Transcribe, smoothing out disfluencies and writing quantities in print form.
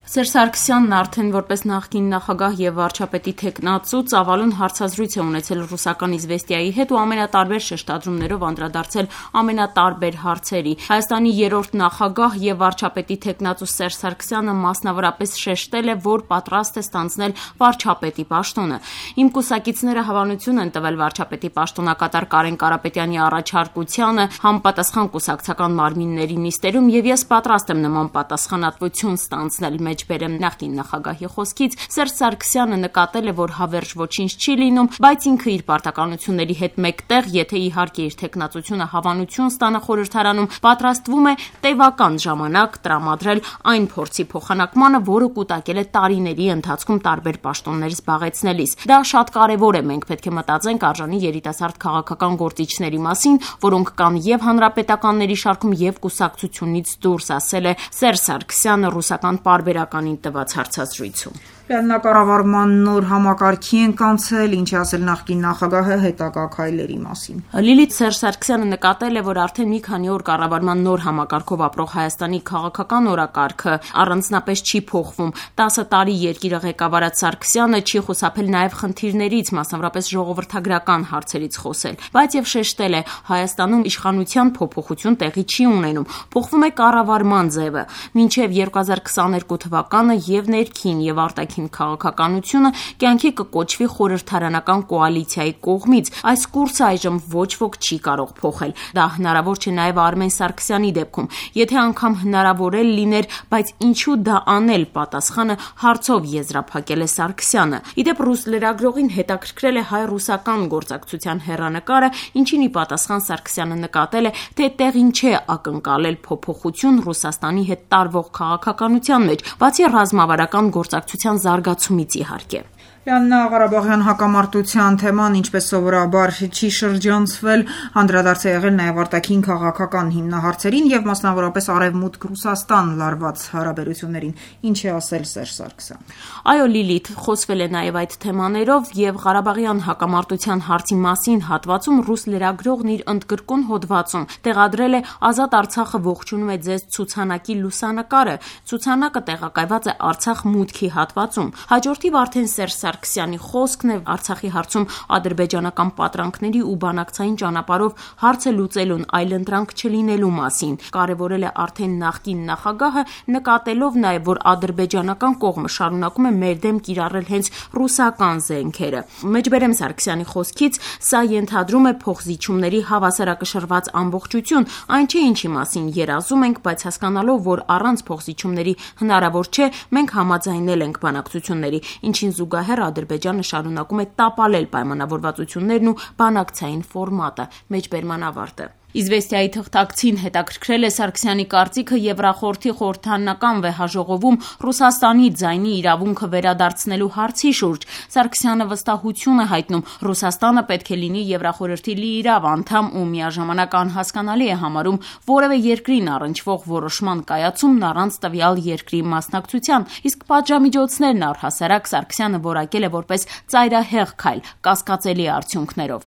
Սերժ Սարգսյանն արդեն որպես նախկին նախագահ եւ վարչապետի թեկնածու ծավալուն հարցազրույց է ունեցել ռուսական «Իզվեստիայի» հետ ու ամենատարբեր շեշտադրումներով անդրադարձել ամենատարբեր հարցերի։ Հայաստանի երրորդ նախագահ եւ վարչապետի թեկնածու Սերժ Սարգսյանը մասնավորապես շեշտել է, որ պատրաստ է ստանձնել վարչապետի պաշտոնը։ Իմ կուսակիցները հավանություն են տվել վարչապետի պաշտոնակատար Կարեն Կարապետյանի առաջարկությանը համապատասխան կուսակցական մարմինների նիստերում եւ ես պատրաստ եմ նման պատասխանատվություն ստանձնել։ Մեջբերեմ նախկին նախագահի խոսքից Սերժ Սարգսյանը նկատել է, որ հավերժ ոչինչ չի լինում, բայց ինքը իր պարտականությունների հետ մեկտեղ, եթե իհարկե իր թեկնածությունը հավանություն ստանա խորհրդարանում, պատրաստվում է տևական ժամանակ տրամադրել այն փորձի փոխանակմանը, որը կուտակել է տարիների ընթացքում տարբեր պաշտոններ զբաղեցնելիս։ Դա շատ կարևոր է, մենք պետք է մտածենք արժանի երիտասարդ քաղաքական գործիչների մասին, որոնք կան եւ հանրապետականների շարքում եւ կուսակցությունից դուրս, ասել է Սերժ Սարգսյանը ռուսական պարբերականին տված հարցազրույցում։ Կառավարման նոր համակարգի ենք անցել, ինչ ասել նախկին նախագահը հետագա քայլերի մասին։ Լիլիթ Սերժ Սարգսյանը նկատել է, որ արդեն մի քանի օր կառավարման նոր համակարգով ապրող Հայաստանի քաղաքական օրակարգը առանձնապես չի փոխվում։ 10 տարի երկիրը ղեկավարած Սարգսյանը չի խուսափել նաև խնդիրներից, մասնավորապես ժողովրդագրական հարցերից խոսել, բայց եւ շեշտել է, Հայաստանում իշխանության փոփոխություն տեղի չի ունենում, փոխվում է կառավարման ձևը։ Մինչև 2022 թվականը եւ ներքին եւ արտաքին քաղաքականությունը կյանքի կկոչվի խորհրդարանական կոալիցիայի կողմից։ Այս կուրսը այժմ ոչ ոք չի կարող փոխել։ Դա հնարավոր չէ նաև Արմեն Սարգսյանի դեպքում։ Եթե անգամ հնարավոր է լիներ, բայց ինչու դա անել, պատասխանը հարցով եզրափակել է Սարգսյանը։ Իդեպ ռուս լրագրողին հետաքրքրել է հայ-ռուսական գործակցության հեռանկարը, ինչին ի պատասխան Սարգսյանը նկատել է, թե տեղին չէ ակնկալել փոփոխություն Ռուսաստանի հետ տարվող քաղաքականության մեջ, բացի ռազմավարական գործակցության զարգացումից իհարկե։ Ղարաբաղյան հակամարտության թեման, ինչպես սովորաբար, չի շրջանցվել, անդրադարձ է եղել նաև արտաքին քաղաքական հիմնահարցերին եւ մասնավորապես Արևմուտք Ռուսաստան լարված հարաբերություններին։ Ինչ է ասել Սերժ Սարգսյանը։ Այո, Լիլիթ, խոսվել է նաև այդ թեմաներով եւ Ղարաբաղյան հակամարտության հարցի մասին հատվածում ռուս լրագրողն իր ընդգրկուն հոդվածում տեղադրել է Ազատ Արցախը ողջունում է ձեզ ցուցանակի լուսանկարը։ Ցուցանակը տեղակայված է Արցախ մուտքի հատվածում։ Հաջորդիվ արդեն Սերժ Սարգսյանի խոսքն է Արցախի հարցում ադրբեջանական պատրանքների ու բանակցային ճանապարհով հարցը լուծելուն այլընտրանք չլինելու մասին։ Կարևորել է արդեն նախկին նախագահը, նկատելով նաև, որ ադրբեջանական կողմը շարունակում է մեր դեմ կիրառել հենց ռուսական զենքերը։ Մեջբերեմ Սարգսյանի խոսքից, սա ենթադրում է փոխզիջումների հավասարակշռված ամբողջություն, այն չէ ինչի մասին երազում ենք, բայց հասկանալով, որ առանց փոխզիջումների հնարավոր չէ, մենք համաձայնել ենք բանակցությունների, ինչին զուգահեռ Ադրբեջանը շարունակում է տապալել պայմանավորվածություններն ու բանակցային ֆորմատը։ Մեջբերման ավարտը։ Իզվեստիայի թղթակցին հետաքրքրել է Սարգսյանի կարծիքը Եվրախորհրդի խորհրդարանական վեհաժողովում Ռուսաստանի ձայնի իրավունքը վերադարձնելու հարցի շուրջ։ Սարգսյանը վստահություն է հայտնում, Ռուսաստանը պետք է լինի Եվրախորհրդի լիիրավ անդամ ու միաժամանակ անհասկանալի է համարում որևէ երկրին առնչվող որոշման կայացումն առանց տվյալ երկրի մասնակցության, իսկ պատժամիջոցներն առհասարակ Սարգսյանը որակել է որպես ծայրահեղ քայլ, կասկածելի արդյունքներով։